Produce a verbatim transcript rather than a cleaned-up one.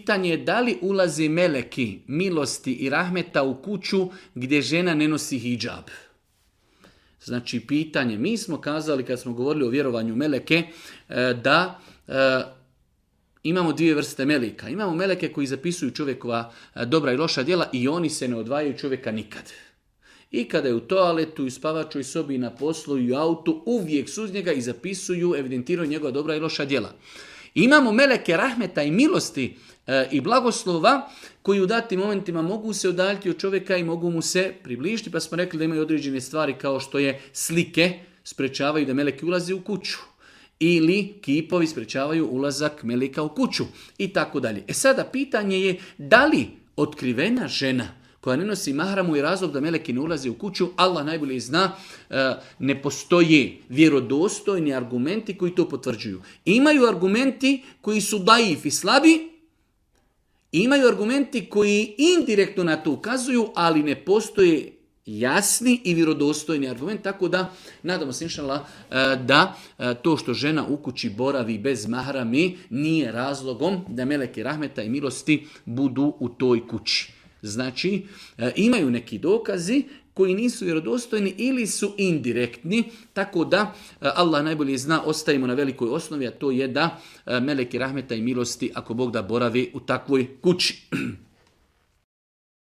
pitanje je da li ulazi meleki milosti i rahmeta u kuću gdje žena ne nosi hidžab. Znači pitanje, mi smo kazali kad smo govorili o vjerovanju meleke da imamo dvije vrste meleka. Imamo meleke koji zapisuju čovjekova dobra i loša djela i oni se ne odvajaju čovjeka nikad. I kada je u toaletu, i spavačoj sobi, i na poslu, i u autu, uvijek su uz njega i zapisuju, evidentiraju njegova dobra i loša djela. Imamo meleke rahmeta i milosti e, i blagoslova koji u datim momentima mogu se udaljiti od čovjeka i mogu mu se približiti, pa smo rekli da imaju određene stvari kao što je slike, sprečavaju da meleki ulazi u kuću. Ili kipovi sprečavaju ulazak meleka u kuću i tako dalje. E sada pitanje je da li otkrivena žena koja ne nosi mahramu i razlog da meleki ne ulazi u kuću, Allah najbolje zna, ne postoje vjerodostojni argumenti koji to potvrđuju. Imaju argumenti koji su daif i slabi, imaju argumenti koji indirektno na to ukazuju, ali ne postoje jasni i vjerodostojni argument, tako da nadamo se inšallah da to što žena u kući boravi bez mahrami nije razlogom da meleki rahmeta i milosti budu u toj kući. Znači, imaju neki dokazi koji nisu vjerodostojni ili su indirektni, tako da Allah najbolje zna, ostavimo na velikoj osnovi, a to je da meleki rahmeta i milosti, ako Bog da, boravi u takvoj kući.